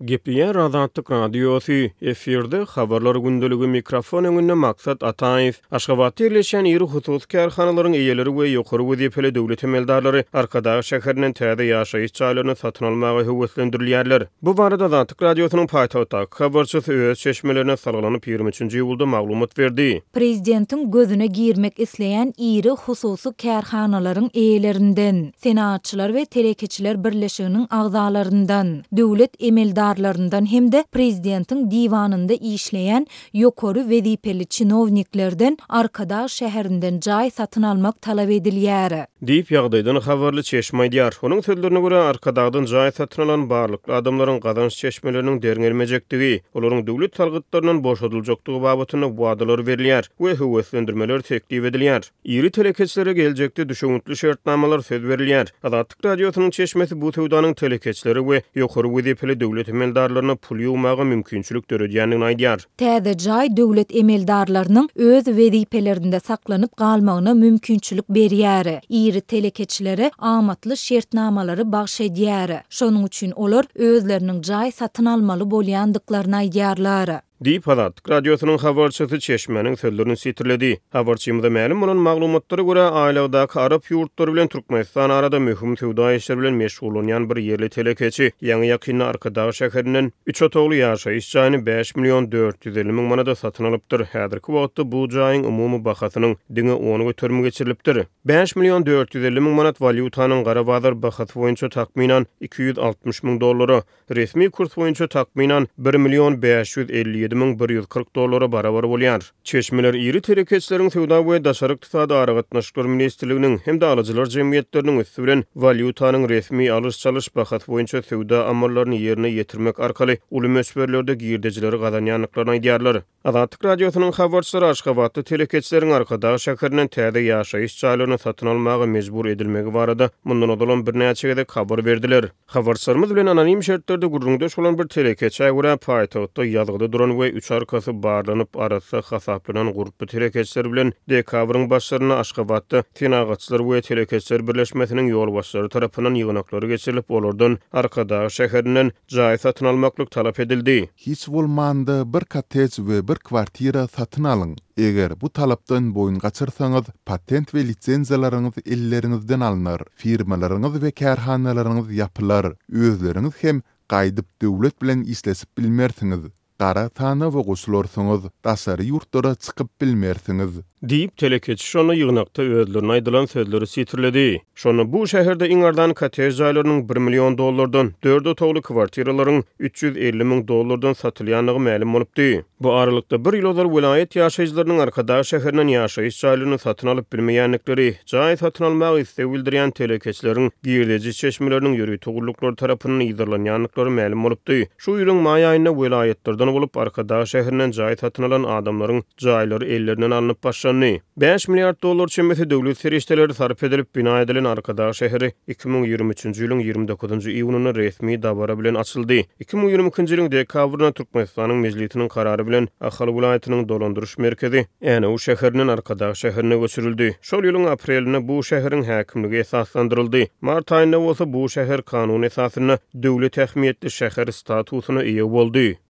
Gepleýär Azatlyk Radiosy, efirde Habarlar gündeligi, mikrofon öňünde Maksat Ataýew. Aşgabatda ýerleşýän iri hususy kärhanalaryň eýeleri we ýokary wezipeli döwlet emeldarlary Arkadag şäherinden täze ýaşaýyş jaýlaryny satyn almaga höweslendirilýärler. Bu barada Azatlyk Radiosynyň paýtagtdaky habarçysy öz çeşmelerine salgylanyp, 23-nji iýulda maglumat berdi. Prezidentiň gözüne girmek isleýän iri hususy kärhanalaryň eýelerinden, Senagatçylar we telekeçiler birleşiginiň agzalaryndan, döwlet emeldarlaryndan hem-de prezidentiň diwanynda işleýän ýokary wezipeli çinowniklerden Arkadag şäherinden jaý satyn almak talap edilýär. Diýip, ýagdaýdan habarly çeşme aýdýar. Onuň sözlerine görä, Arkadagdan jaý satyn alan barlykly adamlaryň gazanç çeşmeleriniň derňelmejekdigi, olaryň döwlet salgytlaryndan boşadyljakdygy babatynda wadalar berilýär we höweslendirmeler teklip edilýär. Iri telekeçilere geljekde düşewüntli şertnamalar söz berilýär. Azatlyk Radiosynyň çeşmesi bu söwdanyň telekeçilere we ýokary wezipeli döwlet emeldarlaryna pul ýuwmaga mümkinçilik döredýändigini aýdýar. Täze jaý döwlet emeldarlarynyň öz wezipelerinde saklanyp galmagyna mümkinçilik berýär, iri telekeçilere amatly şertnamalary bagş edýär. Şonuň üçin olar özleriniň jaý satyn almaly bolýandyklaryny aýdýarlar. Diýip, Azatlyk Radiosynyň habarçysy çeşmäniň sözlerini sitirledi. Habarçymyza mälim bolan maglumatlara görä, aýlagdaky arap ýurtlary bilen Türkmenistan arada möhüm söwda işleri bilen meşgullanýan bir ýerli telekeçi ýaňy-ýakynda Arkadag şäherinden üç otagly ýaşaýyş jaýyny 5 million 450 müň manada satyn alypdyr. Häzirki wagtda bu jaýyň umumy bahasynyň diňe on göterimi geçirilipdir. 5 million 450 müň manat walýutanyň gara bazar bahasy boýunça takmynan 260 müň dollara, Resmi kurs boýunça takmynan bir million 557 140 dollara barabar bolýar. Çeşmeler iri telekeçileriň Söwda we daşary ykdysady aragatnaşyklar ministrliginiň hem-de alyjylar jemgyýetleriniň üsti bilen walýutanyň resmi alyş-çalyş bahasy boýunça söwda amallaryny ýerine ýetirmek arkaly uly möçberlerde girdejileri gazanýandyklaryny aýdýarlar. Azatlyk Radiosynyň habarçylary aşgabatly telekeçileriň Arkadag şäherinden täze ýaşaýyş jaýlaryny satyn almaga mejbur edilmegi barada mundan ozalam birnäçe gezek habar berdiler. Habarçylarymyz bilen anonim şertlerde gürrüňdeş bolan bir telekeçä görä, paýtagtda ýazgyda duran we üç arkasy barlanyp, arassa hasaplanan gurply telekeçiler bilen dekabryň başlarynda Aşgabatda Senagatçylar we telekeçiler birleşmesiniň ýolbaşçylary tarapyndan ýygnaklary geçirilip, olardan Arkadag şäherinden jaý satyn almaklyk talap edildi. Hiç bolmanda bir kottej we bir kwartira satyn alyň. Eger bu talapdan boýun gaçyrsaňyz, patent we lisenziýalaryňyz elleriňizden alnar, firmalaryňyz we kärhanalaryňyz ýapylar, özleriňiz hem gaýdyp döwlet bilen işleşip bilmersiňiz, gara sanawa goşularsyňyz, daşary ýurtlara çykyp bilmersiňiz. Diýip, telekeçi şonda ýygnakda özlerine aýdylan sözleri sitirledi. Şonda bu şäherde iň arzan kottej jaýlarynyň bir million dollardan, dört otagly kwartiralaryň 350 müň dollardan satylýandygy mälim bolupdy. Bu aralykda, bir ýyl ozal welaýat ýaşaýjylarynyň Arkadag şäherinden ýaşaýyş jaýlaryny satyn alyp bilmeýändikleri, jaý satyn almaga isleg bildirýän telekeçileriň girdeji çeşmeleriniň ýörite gulluklar tarapyndan yzarlanýandyklary mälim bolupdy. Şu ýylyň maý aýynda welaýatlardan bolup Arkadag şäherinden jaý satyn alan adamlaryň jaýlary ellerinden alnyp başlandy. 5 milliard dollar çemesi döwlet serişdeleri sarp edilip bina edilen Arkadag şäheri 2023-nji ýylyň 29-njy iýunynda resmi dabara bilen açyldy. 2022-nji ýylyň dekabrynda Türkmenistanyň Mejlisiniň karary bilen Ahal welaýatynyň dolandyryş merkezi Änew şäherinden Arkadag şäherine göçürildi. Şol ýylyň aprelinde bu şäheriň häkimligi esaslandyryldy. Mart aýynda bolsa bu şäher kanun esasynda döwlet ähmiýetli şäher statusyna eýe boldy.